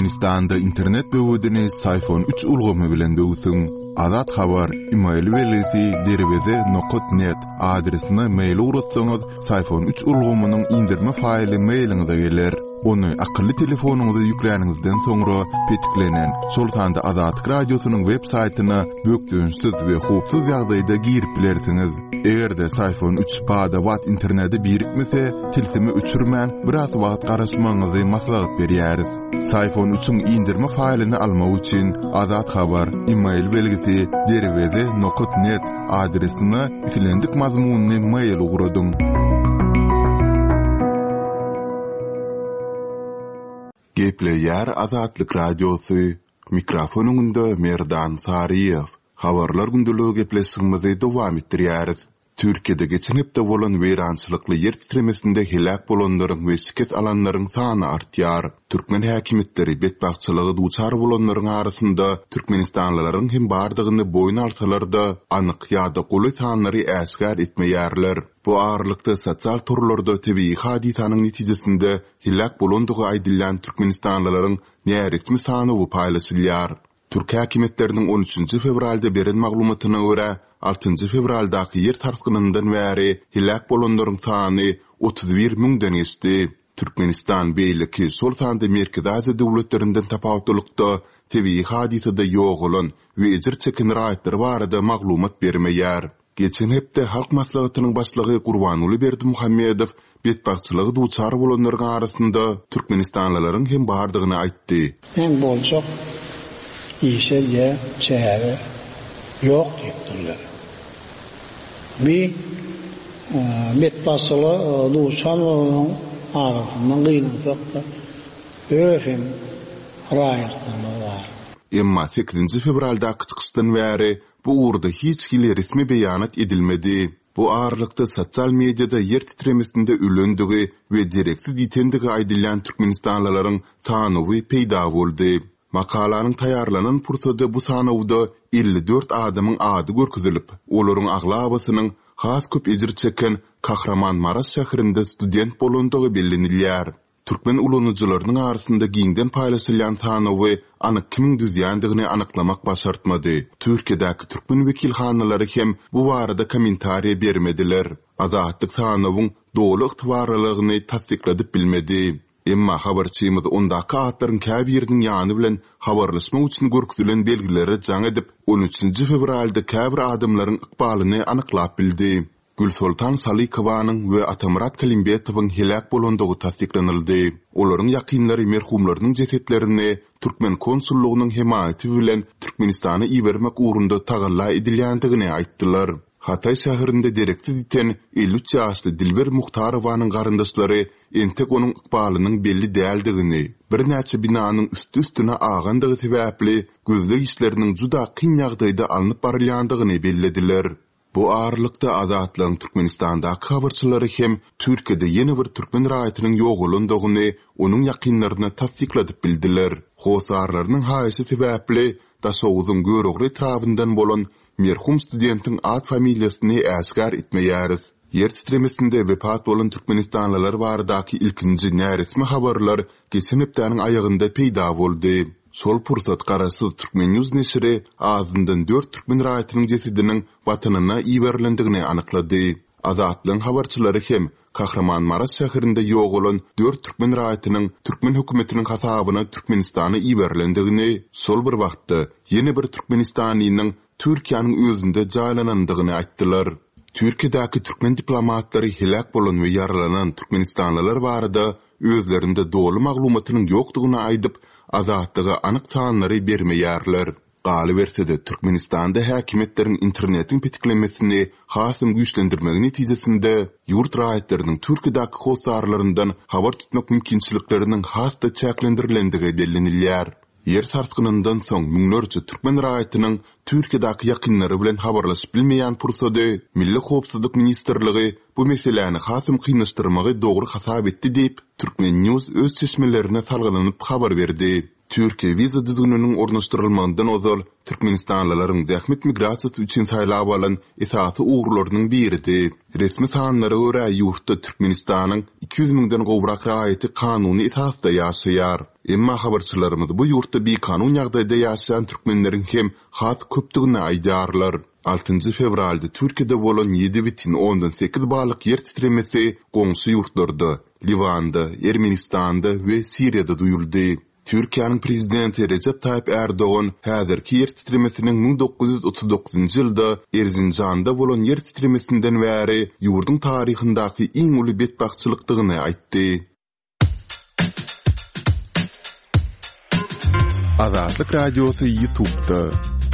Türkmenistanda internet böwedini Syfon üç ulgamy bilen böwsüň. Azat Habar, email belgisi derweze nokat net adresine mail ugratsaňyz, Syfon üç ulgamynyň indirme faýly mailiňize geler. Ony akylly telefonyňyza ýükläniňizden soňra petiklenen, şol sanda Azatlyk Radiosynyň web saýtyna bökdençsiz we howpsuz ýagdaýda girip bilersiňiz. Eger-de Syfon üç bada-bat internete birikmese, tilsimi öçürmän, biraz wagt garaşmagyňyzy maslahat berýäris. Syfon üçiň indirme faýlyny almak üçin Azat Habar, email belgisi, derweze nokat net adresine islendik mazmunly mail ugradyň. Gepleýär Azatlyk Radiosy, Mikrofon öňünde Merdan Saryýew. Habarlar gündeligi gepleşigimizi dowam etdirýäris. Türkiýede geçen hepde bolan weýrançylykly ýer titremesinde heläk bolanlaryň we şikes alanlaryň sany artýar. Türkmen häkimiýetleri betbagtçylyga duçar bolanlaryň arasynda türkmenistanlylaryň hem bardygyny boýun alsalar-da, anyk ýa-da golaý sanlary äşgär etmeýärler. Bu aralykda sosial torlarda tebigy hadysanyň netijesinde heläk bolandygy aýdylýan türkmenistanlylaryň näresmi sanawy paýlaşylýar. Türk häkimiýetleriniň on üçünji fewralda beren maglumatyna görä, altynjy fewraldaky ýer sarsgynyndan bäri heläk bolanlaryň sany 31 müňden geçdi. Türkmenistan beýleki, şol sanda Merkezi Aziýa döwletlerinden tapawutlylykda, tebigy hadysada ýogalan we ejir çeken raýatlar barada maglumat bermeýär. Geçen hepde Halk Maslahatynyň Başlygy Gurbanguly Berdimuhamedow betbagtçylyga duçar bolanlaryň arasynda türkmenistanlylaryň hem bardygyny aýtdy. Men boljak işe diýä çäre ýok diýipdirler. Bi betbagtçylyga duçar bolanlaryň arasynda gynansak-da öz hem raýatlarymyz bar. Emma sekizinji fewraldaky çykyşdan bäri Bu ugurda hiç hili resmi beýanat edilmedi. Bu aralykda sosial mediada ýer titremesinde ölendigi we dereksiz ýitendigi aýdylýan türkmenistanlylaryň sanawy peýda boldy. Makalanyň taýýarlanan pursady bu sanawda 54 adamyň ady görkezilip, olaryň aglabasynyň has köp ejir çeken Kahramanmaraş şäherinde student bolandygy bellenilýär. Türkmen ulanyjylarynyň arasynda giňden paýlaşylýan sanawy anyk kimiň düzýändigini anyklamak başartmady. Türkiýedäki türkmen wekilhanalary hem bu barada kommentariýa bermediler. Azatlyk sanawyň doly ygtybarlylygyny tassykladyp bilmedi. Emma habarçymyz ondaky atlaryň käbiriniň ýany bilen habarlaşmak üçin görkezilen belgilere jaň edip, on üçünji fewralda käbir adamlaryň ykbalyny anyklap bildi. Gülsoltan Salykowanyň we Atamyrat Kalimbetowyň heläk bolandygy tassyklanyldy. Olaryň ýakynlary merhumlarynyň jesetlerini türkmen konsullygynyň hemaýaty bilen Türkmenistana ibermek ugrunda tagalla edilýändigini aýtdylar. Hataý şäherinde dereksiz ýiten 53 ýaşly Dilber Muhtarowanyň garyndaşlary entek onuň ykbalynyň belli däldigini, birnäçe binanyň üsti-üstüne agandygy sebäpli gözleg işleriniň juda kyn ýagdaýda alnyp barylýandygyny bellediler. Bu aralykda, Azatlygyň Türkmenistandaky habarçylary hem Türkiýede ýene bir türkmen raýatynyň ýogalandygyny onuň ýakynlaryna tassykladyp bildiler. Hossarlarynyň haýyşy sebäpli, Daşoguzyň Görogly etrabyndan bolan merhum studentiň at-familiýasyny äşgär etmeýäris. Ýer titremesinde wepat bolan türkmenistanlylar baradaky ilkinji näresmi habarlar geçen hepdäniň aýagynda peýda boldy. Şol pursat garaşsyz Turkmennews neşiri azyndan dört türkmen raýatynyň jesediniň Watanyna iberilendigini anyklady. Azatlygyň habarçylary hem Kahramanmaraş şäherinde ýogalan dört türkmen raýatynyň türkmen hökümetiniň hasabyna Türkmenistana iberilendigini, şol bir wagtda ýene bir türkmenistanlynyň Türkiýäniň özünde jaýlanandygyny aýtdylar. Türkiýedäki türkmen diplomatlary heläk bolan we ýaralanan türkmenistanlylar barada özlerinde doly maglumatynyň ýokdugyny aýdyp, Azatlyga anyk sanlary bermeýärler. Galyberse-de, Türkmenistanda häkimiýetleriň internetiň petiklemesini hasam güýçlendirmegi netijesinde, ýurt raýatlarynyň Türkiýedäki hossarlaryndan habar tutmak mümkinçilikleriniň has-da çäklendirilendigi bellenilýär. Ýer sarsgynyndan soň müňlerçe türkmen raýatynyň Türkiýedäki ýakynlary bilen habarlaşyp bilmeýän pursady Milli howpsuzlyk ministrligi bu meseläni hasam kynlaşdyrmagy dogry hasap etdi diýip, Turkmen. News öz çeşmelerine salgylanyp habar berdi. Türkiýe wiza düzgüniniň ornaşdyrylmagyndan ozal türkmenistanlylaryň zähmet migrasiýasy üçin saýlap alan esasy ugurlarynyň biridi. Resmi sanlara görä, ýurtda Türkmenistanyň 200 müňden gowrak raýaty kanuny esasda ýaşaýar. Emma habarçylarymyz bu ýurtda bikanun ýagdaýda ýaşaýan türkmenleriň hem has köpdügini aýdýarlar. Altynjy fewralda Türkiýede bolan 7,8 ballyk ýer titremesi goňşy ýurtlarda, Liwanda, Ermenistanda we Siriýada duýuldy. Türkiýäniň Prezidenti Rejep Taýyp Ärdogan häzirki ýer titremesiniň 1939-njy ýylda Erzinjanda bolan ýer titremesinden bäri ýurduň taryhyndaky iň uly betbagtçylykdygyny aýtdy. Azatlyk Radiosy YouTube'da.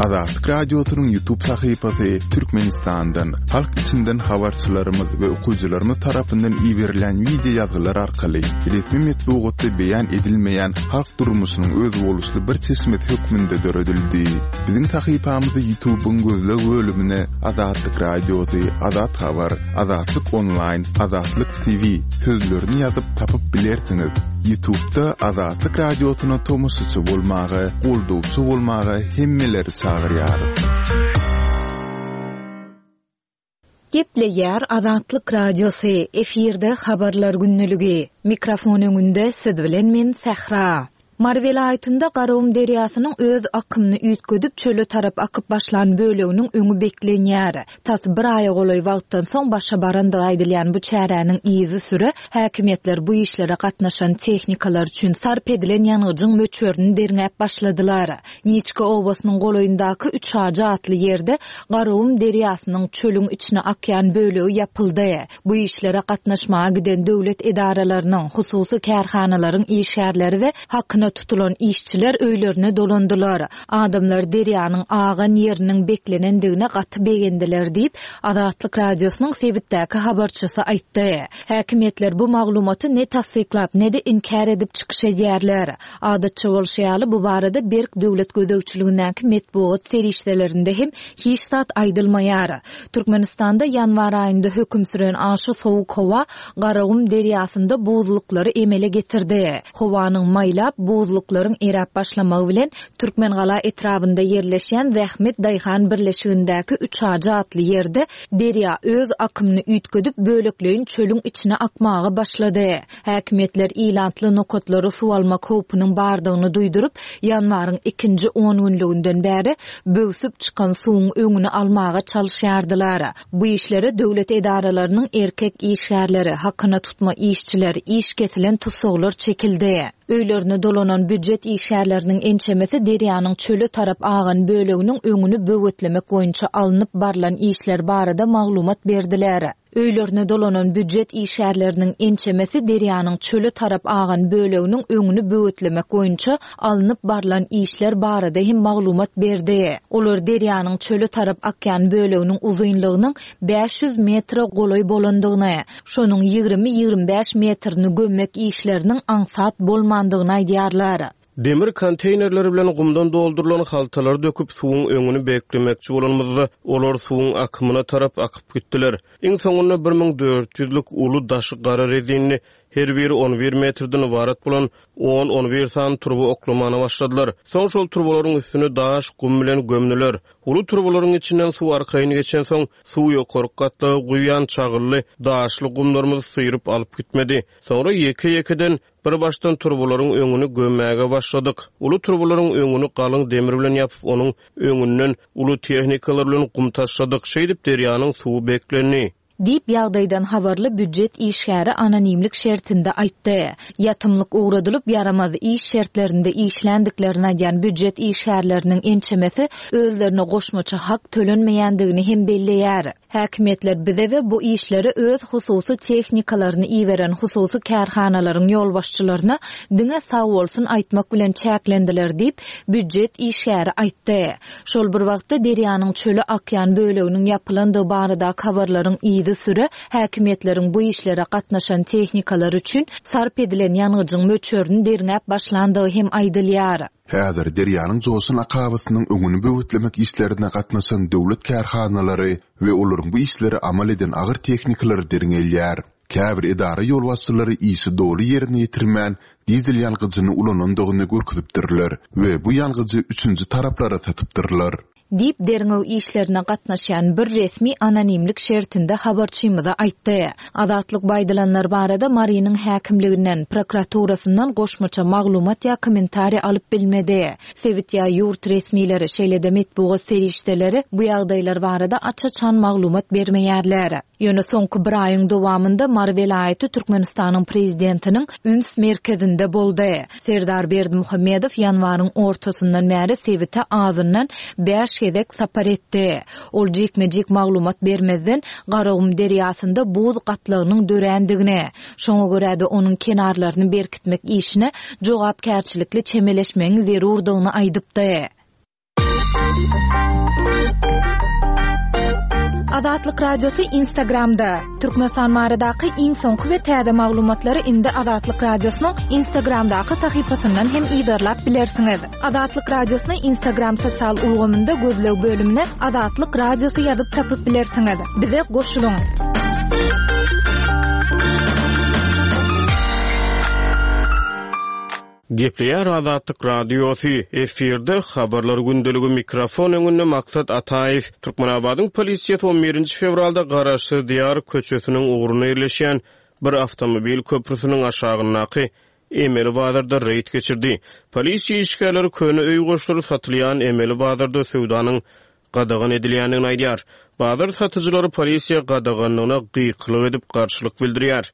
Azatlyk Radiosynyň YouTube sahypasy Türkmenistandan, halk içinden habarçylarymyz we okyjylarymyz tarapyndan iberilen wideo ýazgylar arkaly resmi metbugatda beýan edilmeýän halk durmuşynyň özboluşly bir çeşmesi hökmünde döredildi. Biziň sahypamyzy YouTube'yň gözleg bölümine Azatlyk Radiosy, Azat Habar, Azatlyk Onlaýn, Azatlyk TV sözlerini ýazyp tapyp bilersiňiz. Ýutubda Azatlyk Radiosyna tomaşaçy bolmaga, goldawçy bolmaga hemmeleri çagyrýarys. Gepleýär Azatlyk Radiosy, efirde Habarlar gündeligi. Mikrofon öňünde siz bilen men Sähra. Mary welaýatynda Garagum derýasynyň öz akymyny üýtgedip, çöle tarap akyp başlan böleginiň öňi beklenýär. Tas bir aýa golaý wagtdan soň başa barandygy aýdylýan bu çäräniň yzysüre häkimiýetler bu işlere gatnaşan tehnikalar üçin sarp edilen ýangyjyň möçberini derňäp başladylar. Niçka obasynyň golaýyndaky Üçajy atly ýerde Garagum derýasynyň çölüň içine akýan bölegi ýapyldy. Bu işlere gatnaşmaga giden döwlet edaralarynyň, hususy kärhanalaryň işgärleri we hakyna tutulan işçiler öýlerine dolandylar. Adamlar derýanyň agan ýeriniň beklenendigine gaty begendiler diýip, Azatlyk Radiosynyň sebitdäki habarçysy aýtdy. Häkimiýetler bu maglumaty ne tassyklap, ne-de inkär edip çykyş edýärler. Adatça bolşy ýaly, bu barada berk döwlet gözegçiligindäki metbugat serişdelerinde hem hiç zat aýdylmaýar. Türkmenistanda ýanwar aýynda höküm süren aşa sowuk howa Garagum derýasynda buzluklary emele getirdi. Howanyň maýlap, buzluklaryň eräp başlamagy bilen, Türkmengala etrabynda ýerleşýän Zähmet daýhan birleşigindäki Üçajy atly ýerde derýa öz akymyny üýtgedip, bölekleýin çölüň içine akmaga başlady. Häkimiýetler ilatly nokatlara suw almak howpunyň bardygyny duýduryp, ýanwaryň ikinji ongünlüginden bäri böwsüp çykan suwuň öňüni almaga çalyşýardylar. Bu işlere döwlet edaralarynyň erkek işgärleri, hakyna tutma işçiler, iş kesilen tussaglar çekildi. Öýlerine dolanan býujet işgärleriniň ençemesi derýanyň çöle tarap agan böleginiň öňüni böwetlemek boýunça alnyp barlan işler barada maglumat berdiler. Öýlerine dolanan býujet işgärleriniň ençemesi derýanyň çöle tarap agan böleginiň öňüni böwetlemek boýunça alnyp barlan işler barada hem maglumat berdi. Olar derýanyň çöle tarap akýan böleginiň uzynlygynyň 500 metre golaý bolandygyny, şonuň 20-25 metrini gömmek işleriniň aňsat bolmandygyny aýdýarlar. Demir konteýnerleri bilen gumdan doldurylan haltalary döküp, suwuň öňüni beklemekçi bolanymyzda, olar suwuň akymyna tarap akyp gitdiler. Iň soňunda 1000 ýüzlük uly daşy gara rezinli, her biri on bir metrden ybarat bolan on-on bir sany turba oklamana başladylar. Soň şol turbalaryň üstüni daş, gum bilen gömdüler. Uly turbalaryň içinden suw arkaýyn geçensoň, suw ýokarky gatlaga guýýan çagylly, daşly gumlarymyzy syryp alyp gitmedi. Soňra ýeke-ýekeden Bir başdan turbalaryň öňüni gömmäge başladyk. Uly turbalaryň öňüni galyň demir bilen ýapyp, onuň öňünden uly tehnikalar bilen gum taşladyk. Şeýdip, derýanyň suwy beklendi. Diýip, ýagdaýdan habarly býujet işgäri anonimlik şertinde aýtdy. Ýatymlyk ugradylyp, ýaramaz iş şertlerinde işländiklerini aýdýan býujet işgärleriniň ençemesi özlerine goşmaça hak tölenmeýändigini hem belleýär. Häkimiýetler bize we bu işlere öz hususy tehnikalaryny iberen hususy kärhanalaryň ýolbaşçylaryna diňe sagbolsun aýtmak bilen çäklendiler diýip, býujet işgäri aýtdy. Şol bir wagtda, derýanyň çöle akýan böleginiň ýapylandygy baradaky habarlaryň yzysüre häkimiýetleriň bu işlere gatnaşan tehnikalar üçin sarp edilen ýangyjyň möçberini derňäp başlandygy hem aýdylýar. Häzir derýanyň joşan akabasynyň öňüni böwetlemek işlerine gatnaşan döwlet kärhanalary we olaryň bu işleri amal eden agyr tehnikalary derňelýär. Käbir edara ýolbaşçylary işi doly ýerine ýetirmän, dizel ýangyjyny ulanandygyny görkezipdirler we bu ýangyjy üçünji taraplara satypdyrlar. Diýip, derňew işlerine gatnaşýan bir resmi anonimlik şertinde habarçymyza aýtdy. Azatlyk bu aýdylanlar barada Marynyň häkimliginden, prokuraturasyndan goşmaça maglumat ýa kommentariý alyp bilmedi. Sebit ýa ýurt resmileri, şeýle-de metbugat serişdeleri bu ýagdaýlar barada aç-açan maglumat bermeýärler. Ýöne soňky bir aýyň dowamynda Mary welaýaty Türkmenistanyň prezidentiniň üns merkezinde boldy. Serdar Berdimuhamedow ýanwaryň ortasyndan bäri sebite azyndan bäş gezek sapar etdi. Ol jikme-jik maglumat bermezden, Garagum derýasynda buz gatlagynyň dörändigini, şoňa görä-de onuň kenarlaryny berkitmek işine jogapkärçilikli çemeleşmegiň zerurdygyny aýdypdy. Azatlyk Radiosy Instagramda, Türkmenistan baradaky iň soňky we täze maglumatlary indi Azatlyk Radiosynyň Instagramdaky sahypasyndan hem yzarlap bilersiňiz. Azatlyk Radiosyny Instagram sosial ulgamynda gözleg bölümine Azatlyk Radiosy ýazyp tapyp bilersiňiz. Bize goşulyň! Gepleýär Azatlyk Radiosy, efirde Habarlar gündeligi mikrofon öňünde Maksat Ataýew. Türkmenabadyň polisiýasy on birinji fewralda Garaşsyz Diýar köçesiniň ugrunda ýerleşýän bir awtomobil köprüsiniň aşagyndaky emeli bazarda reýd geçirdi. Polisiýa işgärleri köne öý goşlary satylýan emeli bazarda söwdanyň gadagan edilýändigini aýdýar. Bazar satyjylary polisiýa gadaganlygyna gykylyk edip garşylyk bildirýär.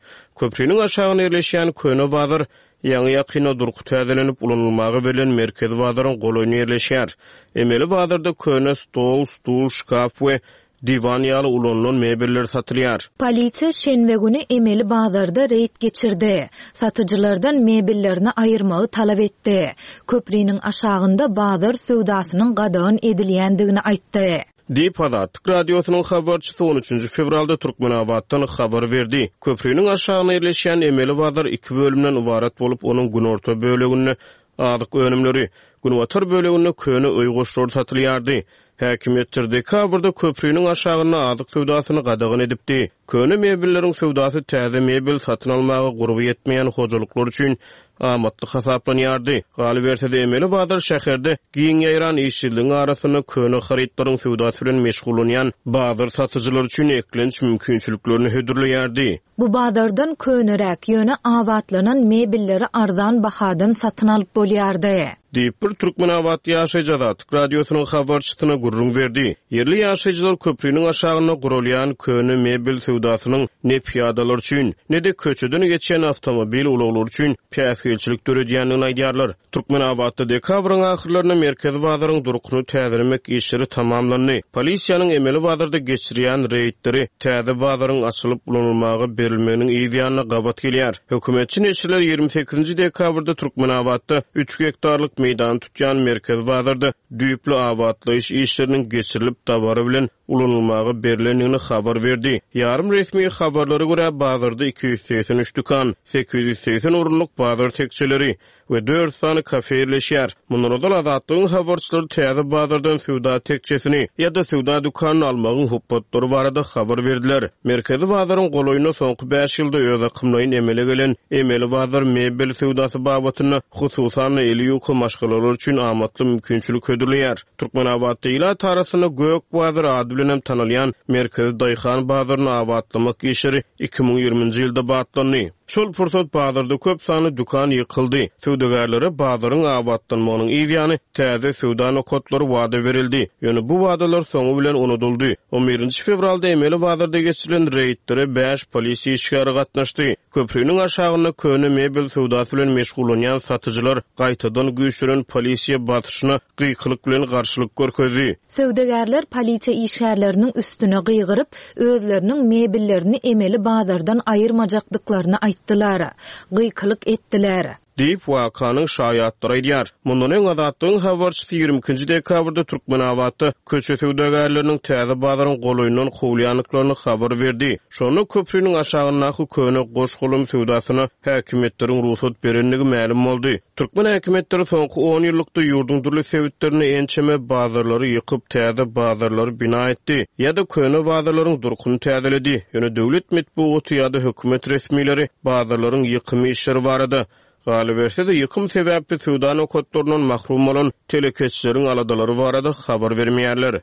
Köpriniň aşagynda ýerleşýän köne bazar ýaňy-ýakynda durky täzelenip ulanylmaga berlen merkezi bazaryň golaýynda ýerleşýär. Emeli bazarda köne stol, stul, şkaf we diwan ýaly ulanylan mebeller satylýar. Polisiýa şenbe güni emeli bazarda reýd geçirdi. Satyjylardan mebellerini aýyrmagy talap etdi. Köpriniň aşagynda bazar söwdasynyň gadagan edilýändigini aýtdy. Diýip, Azatlyk Radiosynyň habarçysy on üçünji fewralda Türkmenabatdan habar berdi. Köpriniň aşagynda ýerleşýän emeli bazar iki bölümden ybarat bolup, onuň günorta böleginde azyk önümleri, günbatar böleginde köne öý goşlary satylýardy. Häkimiýetler dekabrda köpriniň aşagynda azyk söwdasyny gadagan edipdi. Köne mebelleriň söwdasy täze mebel satyn almaga gurby ýetmeýän hojalyklar üçin amatly hasaplanýardy. Galyberse-de, emeli bazar şäherde giň ýaýran işsizligiň arasynda köne harytlaryň söwdasy bilen meşgullanýan bazar satyjylary üçin eklenç mümkinçiliklerini hödürleýärdi. Bu bazardan köneräk, ýöne abatlanan mebelleri arzan bahadan satyn alyp bolýardy. Diýip, bir türkmenabatly ýaşaýjy Azatlyk Radiosynyň habarçysyna gürrüň berdi. Ýerli ýaşaýjylar köpriniň aşagynda guralýan köne mebel söwdasynyň ne pyýadalar üçin, ne-de köçeden geçýän awtomobil ulaglary üçin päsgelçilik döredýändigini aýdýarlar. Türkmenabatda dekabryň ahyrlarynda merkezi bazaryň durkuny täzelemek işleri tamamlandy. Polisiýanyň emeli bazarda geçirýän reýdleri täze bazaryň açylyp ulanylmaga berilmeginiň yz ýanyna gabat gelýär. Hökümetçi neşirler 28-nji dekabrda Türkmenabatda üç gektarlyk meýdany tutýan merkezi bazarda düýpli abatlaýyş işleriniň geçirilip dabara bilen ulanylmaga berlendigini habar berdi. Ýarym resmi habarlara görä, bazarda 283 dükan, 880 orunlyk bazar tekjeleri we dört sany kafe ýerleşýär. Mundan ozal Azatlygyň habarçylary täze bazardan söwda tekjesini ýa-da söwda dükanyny almagyň hupbatlary barada habar berdiler. Merkezi bazaryň golaýynda soňky bäş ýylda özakymlaýyn emele gelen emeli bazar mebel söwdasy babatynda, hususan-da, eli ýuka maşgalalar üçin amatly mümkinçilik hödürleýär. Türkmenabatda ilat arasynda Gök bazar ady bilenem tanalýan merkezi daýhan bazaryny abatlamak işleri 2020-nji ýylda batlandy. Şol pursat bazarda köp sanly dükan ýykyldy. Söwdagärlere bazaryň abatlanmagynyň yz ýany täze söwda nokatlary wada berildi. Ýöne bu wadalar soňy bilen unudyldy. On birinji fewralda emeli bazarda geçirilen reýdlere bäş polisiýa işgäri gatnaşdy. Köpriniň aşagynda köne mebel söwdasy bilen meşgullanýan satyjylar gaýtadan güýçlenen polisiýa basyşyna gykylyk bilen garşylyk görkezdi. Söwdagärler polisiýa işgärleriniň üstüne gygyryp, özleriniň mebellerini emeli bazardan aýyrmajakdyklaryny aýtdylar. Gykylyk etdiler. Diýip, wakanyň şaýatlary aýdýar. Mundan öň, Azatlygyň habarçysy 22-nji dekabrda Türkmenabatda köçe söwdagärleriniň täze bazaryň golaýyndan kowulýandyklaryny habar berdi. Şonda köpriniň aşagyndaky köne goş-golam söwdasyna häkimiýetleriň rugsat berendigi mälim boldy. Türkmen häkimiýetleri soňky on ýyllykda ýurduň dürli sebitlerinde ençeme bazarlary ýykyp, täze bazarlary bina etdi ýa-da köne bazarlaryň durkuny täzeledi. Ýöne döwlet metbugaty ýa-da hökümet resmileri bazarlaryň ýykym işleri barada, galyberse-de, ýykym sebäpli söwda nokatlaryndan mahrum bolan telekeçileriň aladalary barada habar bermeýärler.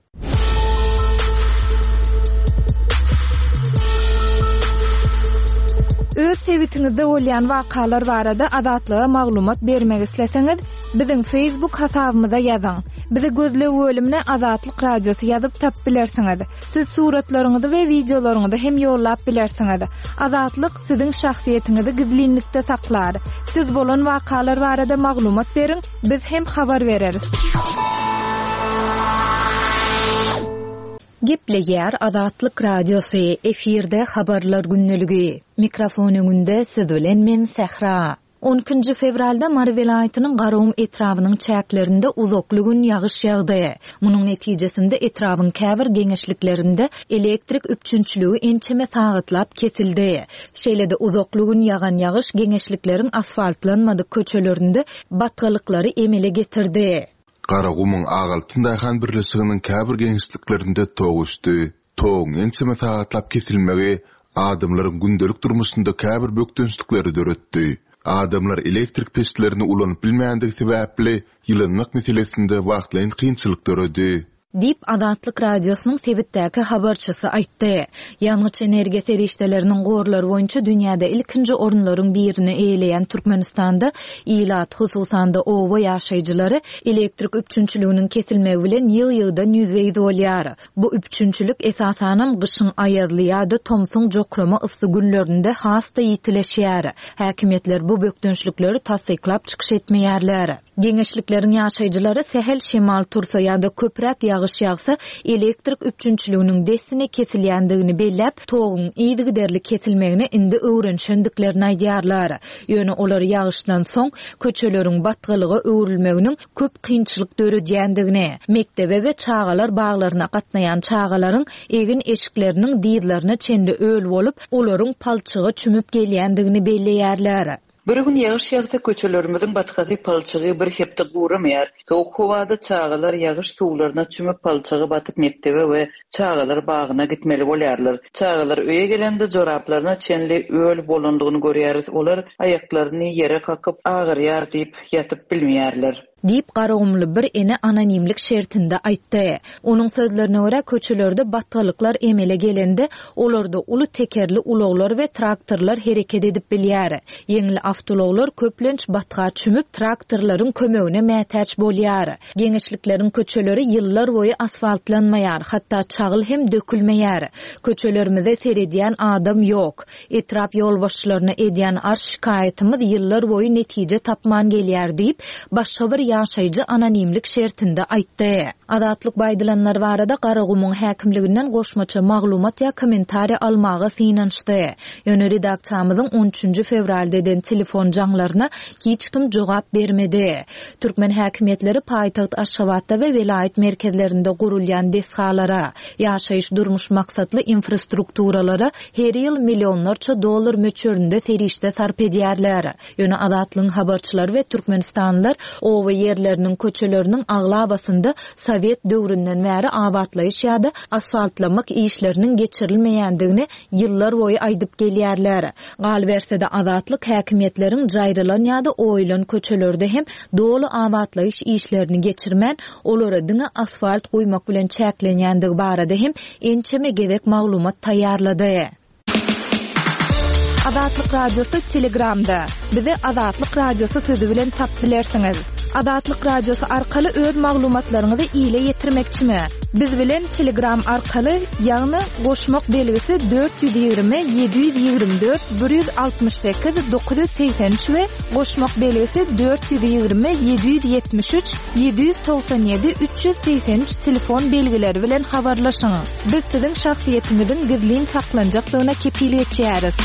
Öz sebitiňizde bolýan wakalar barada Azatlyga maglumat bermek isleseňiz, biziň Facebook hasabymyza ýazyň. Bizi gözleg bölümine Azatlyk Radiosy ýazyp tapyp bilersiňiz. Siz suratlaryňyzy we wideolaryňyzy hem ýollap bilersiňiz. Azatlyk siziň şahsyýetiňizi gizlinlikde saklar. Siz bolan wakalar barada maglumat beriň, biz hem habar bereris. Gepleýär Azatlyk Radiosy, efirde Habarlar gündeligi. Mikrofon öňünde siz bilen men Sähra. On ikinji fewralda Mary welaýatynyň Garagum etrabynyň çäklerinde uzakly gün ýagyş ýagdy. Munuň netijesinde etrabyň käbir geňeşliklerinde elektrik üpjünçiligi ençeme sagatlap kesildi. Şeýle-de uzakly gün ýagan ýagyş geňeşlikleriň asfaltlanmadyk köçelerinde batgalyklary emele getirdi. Garagumuň Agaltyn daýhan birleşiginiň käbir geňeşliklerinde tok öçdi. Toguň ençeme sagatlap kesilmegi adamlaryň gündelik durmuşynda käbir bökdençlikleri döretdi. Adamlar elektrik peçlerini ulanyp bilmändigi sebäpli, ýylanmak meselesinde wagtlaýyn kynçylyk döredi. Diýip, Azatlyk Radiosynyň sebitdäki habarçysy aýtdy. Ýangyç-energiýa serişdeleriniň gorlary boýunça dünýäde ilkinji orunlaryň birini eýeleýän Türkmenistanda ilat, hususan-da, oba ýaşaýjylary elektrik üpjünçiliginiň kesilmegi bilen ýygy-ýygydan ýüzbe-ýüz bolýar. Bu üpjünçilik, esasanam, gyşyň aýazly ýa-da tomsuň jokrama yssy günlerinde has-da ýitileşýär. Häkimiýetler bu bökdençlikleri tassyklap çykyş etmeýärler. Geňeşlikleriň ýaşaýjylary sähel şemal tursa ýa-da köpräk ýagyş ýagsa, elektrik üpjünçiliginiň dessine kesilýändigini belläp, toguň yzygiderli kesilmegine indi öwrenişendiklerini aýdýarlar. Ýöne olar ýagyşdan soň köçeleriň batgalyga öwrülmeginiň köp kynçylyk döredýändigini, mekdebe we çagalar baglaryna gatnaýan çagalaryň egin-eşikleriniň dyzlaryna çenli öl bolup, olaryň palçyga çümüp gelýändigini belleýärler. Bir gün ýagyş ýagsa köçelerimiziň batgasy palçygy bir hepde guramaýar. Sowuk howada çagalar ýagyş suwlaryna çümüp palçyga batyp mekdebe we çagalar bagyna gitmeli bolýarlar. Çagalar öýe gelende joraplaryna çenli öl bolandygyny görýäris olar aýaklaryny ýere kakyp agyrýar diýip ýatyp bilmeýärler. Diýip, garagumly bir ene anonimlik şertinde aýtdy. Onuň sözlerine görä, köçelerde batgalyklar emele gelende, olarda uly tekerli ulaglar we traktorlar hereket edip bilýär. Ýeňil awtoulaglar köplenç batga çümüp, traktorlaryň kömegine mätäç bolýar. Geňeşlikleriň köçeleri ýyllar boýy asfaltlanmaýar, hatda çagyl hem dökülmeýär. Köçelerimize seredýän adam ýok. Etrap ýolbaşçylaryna edýän arz-şikaýatymyz ýyllar boýy netije tapman gelýär diýip, başga bir ýaşaýjy anonimlik şertinde aýtdy. Azatlyk bu aýdylanlar barada Garagumuň häkimliginden goşmaça maglumat ýa kommentariýa almaga synanyşdy. Ýöne redaksiýamyzyň on üçünji fewralda eden telefon jaňlaryna hiç kim jogap bermedi. Türkmen häkimiýetleri paýtagt Aşgabatda we welaýat merkezlerinde gurulýan desgalara, ýaşaýyş-durmuş maksatly infrastrukturalara her ýyl millionlarça dollar möçberinde serişde sarp edýärler. Ýöne Azatlygyň habarçylary we türkmenistanlylar oba ýerleriniň köçeleriniň aglabasynda sowet döwründen bäri abatlaýyş ýa-da asfaltlamak işleriniň geçirilmeýändigini ýyllar boýy aýdyp gelýärler. Galyberse-de, Azatlyk häkimiýetleriň jaýrylan ýa-da oýulan köçelerde hem doly abatlaýyş işlerini geçirmän, olara diňe asfalt guýmak bilen çäklenýändigi barada hem ençeme gezek maglumat taýýarlady. Azatlyk Radiosy Telegramda. Bizi Azatlyk Radiosy sözi bilen tapyp bilersiňiz. Azatlyk Radiosy arkaly öz maglumatlaryňyzy ile ýetirmekçimi? Biz bilen Telegram arkaly, ýagny goşmak belgisi 420 724 168 983 we goşmak belgisi 420 773 797 383 telefon belgileri bilen habarlaşyň. Biz siziň şahsyýetiňiziň gizlin saklanjakdygyna kepil geçýäris.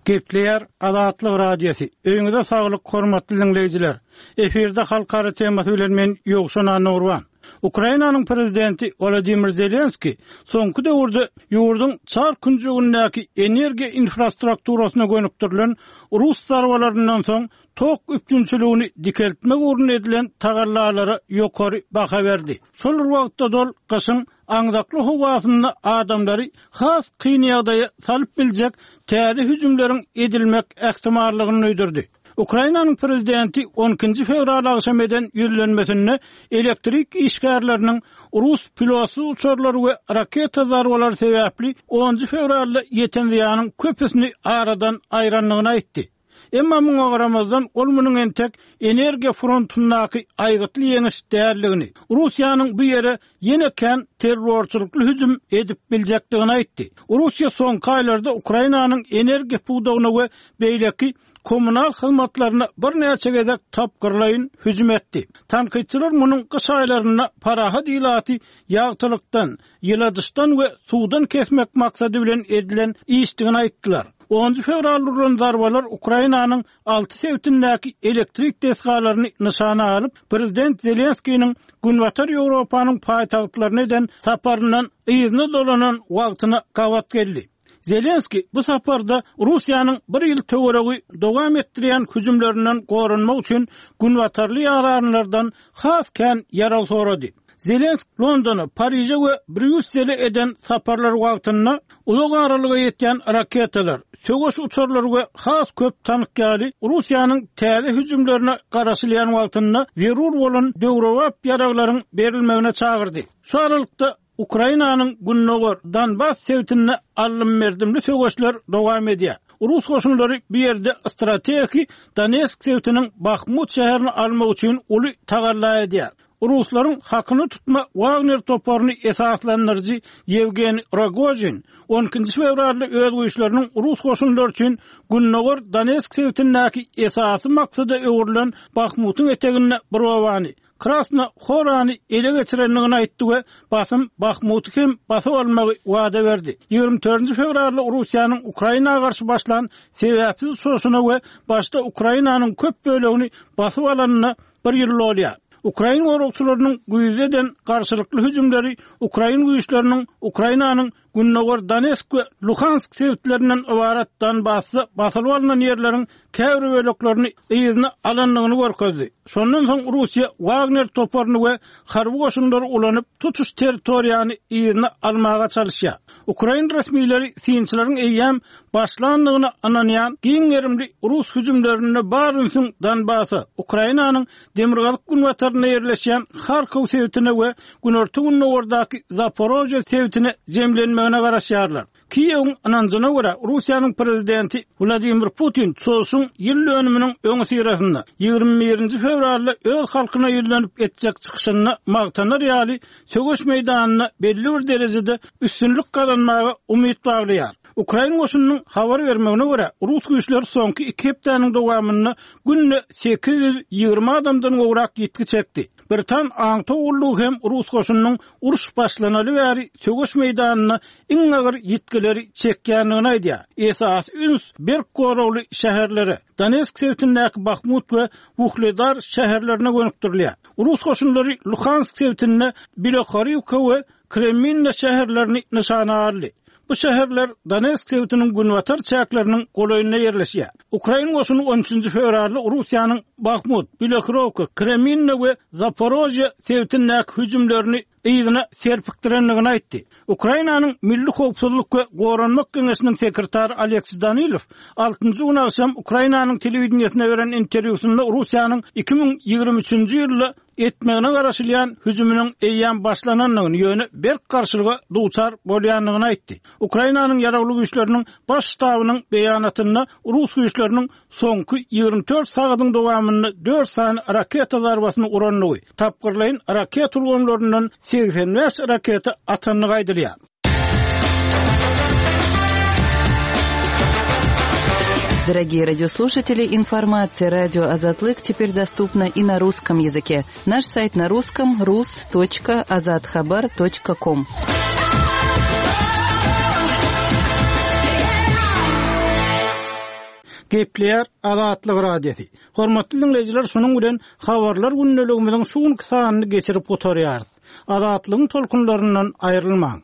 Gepleýär Azatlyk Radiosy. Öýüňize saglyk hormatly diňleýjiler. Efirde halkara temasy bilen men Ýowşan Annagurban. Ukrainanyň prezidenti Wolodymyr Zelenskiý soňky döwürde ýurduň çar künjegindäki energiýa infrastrukturasyna gönükdirilen rus zarbalaryndan soň tok üpjünçiligini dikeltmek ugrunda edilen tagallalara ýokary baha berdi. Şol bir wagtda-da ol gyşyň aňzakly howasynda adamlary has kyn ýagdaýa salyp biljek täze hüjümleriň edilmek ähtimallygyny duýdurdy. Ukrainanyň prezidenti on ikinji fewral agşam eden ýüzlenmesinde elektrik işgärleriniň rus pilotsyz uçarlary we raketa zarbalary sebäpli onunjy fewralda ýeten zyýanyň köpüsini aradan aýrandygyny aýtdy. Emma muňa garamazdan, ol munuň entek energiýa frontyndaky aýgytly ýeňiş däldigini, Russiýanyň bu ýere ýene kän terrorçylykly hüjüm edip biljekdigini aýtdy. Russiýa soňky aýlarda Ukrainanyň energiýa pudagyna we beýleki kommunal hyzmatlaryna birnäçe gezek tapgyrlaýyn hüjüm etdi. Tankytçylar munuň gyş aýlarynda parahat ilaty ýagtylykdan, ýyladyşdan we suwdan kesmek maksady bilen edilen işdigini aýtdylar. Onunjy fewralda urlan zarbalar Ukrainanyň alty sebitindäki elektrik desgalaryny nyşana alyp, prezident Zelenskiniň Günbatar Ýewropanyň paýtagtlaryna eden saparyndan yzyna dolanan wagtyna gabat geldi. Zelenskiý bu saparda Russiýanyň bir ýyl töweregi dowam etdirýän hüjümlerinden goranmak üçin günbatarly ýaranlardan has kän ýarag sorady. Zelensk Londona, Pariže we Brýussele eden saparlary wagtynda uzak aralyga ýetýän raketalar, söweş uçarlary we has köp tank ýaly Russiýanyň täze hüjümlerine garaşylýan wagtynda zerur bolan döwrebap ýaraglaryň berilmegine çagyrdy. Şu aralykda, Ukrainanyň gündogar Donbas sebitinde aldym-berdimli söweşler dowam edýär. Rus goşunlary bu ýerde strategiki Donetsk sebitiniň Bahmut şäherini almak üçin uly tagalla edýär. Ruslaryň hakyna tutma Wagner toparyny esaslandyryjy Ýewgeniý Rogožin on ikinji fewralda öz güýçleriniň rus goşunlary üçin gündogar Donetsk sebitindäki esasy maksada öwrülen Bahmutyň eteginde bir obany, Krasna Horany ele geçirendigini aýtdy we basym Bahmuty hem basyp almagy wada berdi. 24 fewralda Russiýanyň Ukraina garşy başlan sebäpsiz çoşuna we başda Ukrainanyň köp bölegini basyp alanyna bir ýyl dolýar. Ukrain goragçylarynyň güýzde eden garşylykly hüjümleri ukrain güýçleriniň Ukrainanyň Gündogar Donetsk we Luhansk sebitlerinden ybarat Donbasda basylyp alnan ýerleriň käbir böleklerini yzyna alandygyny görkezdi. Şondan soň Russiýa Wagner toparyny we harby goşunlary ulanyp, tutuş territoriýany yzyna almaga çalyşýar. Ukrain resmileri synçylaryň eýýäm başlandygyna ynanýan giň gerimli rus hüjümlerinde bar ünsüň Donbasa, Ukrainanyň demirgazyk-günbatarynda ýerleşýän Harkow sebitine we günorta-gündogardaky Zaporožýe sebitine jemlenmegine garaşýarlar. Kiýewiň ynanjyna görä, Russiýanyň prezidenti Wladimir Putin çozuşyň ýyl dönüminiň öňüsyrasynda, 21 nji fewralda öz halkyna ýüzlenip etjek çykyşynda magtanar ýaly söweş meýdanynda belli bir derejede üstünlik gazanmaga umyt baglaýar. Ukrain goşunynyň habar bermegine görä, rus güýçleri soňky iki hepdäniň dowamynda günde 820 adamdan gowrak ýitgi çekdi. Britan aňtaw gullugy hem rus goşunynyň uruş başlanaly bäri söweş meýdanynda iň agyr ýitgileri çekýändigini aýdýar. Esasy üns berk goragly şäherlere, Donetsk sebitindäki Bahmut we Wuhledar şäherlerine gönükdirilýär. Rus goşunlary Luhansk sebitinde Bilohoriwka we Kreminna şäherlerini nyşana aldy. Bu şäherler Donetsk sebitiniň günbatar çäkleriniň golaýynda ýerleşýär. Ukrain goşuny on üçünji fewralda Russiýanyň Bahmut, Bilohorowka, Kreminna we Zaporožýe sebitindäki hüjümlerini yzyna serpikdirendigini aýtdy. Ukrainanyň Milli howpsuzlyk we goranmak geňeşiniň sekretary Oleksiý Danilow altynjy gün agşam Ukrainanyň telewideniýesine beren interwýusynda Russiýanyň 2023-nji ýylda etmegine garaşylýan hüjüminiň eýýäm başlanandygyny, ýöne berk garşylyga duçar bolýandygyny aýtdy. Ukrainanyň Ýaragly Güýçleriniň Baş ştabynyň beýanatynda rus güýçleriniň soňky 24 sagadyň dowamynda dört sany raketa zarbasyny urandygy, tapgyrlaýyn raketa ulgamlaryndan 85 raketa atandygy aýdylýar. Дорогие радиослушатели, информация радио Азатлык теперь доступна и на русском языке. Наш сайт на русском rus.azathabar.com. Gepleýär Azatlyk Radiosy. Hormatly diňleýjiler şunuň bilen Habarlar gündeligimiziň şu günki sanyny geçirip gutarýarys. Azatlygyň tolkunlaryndan aýrylmaň.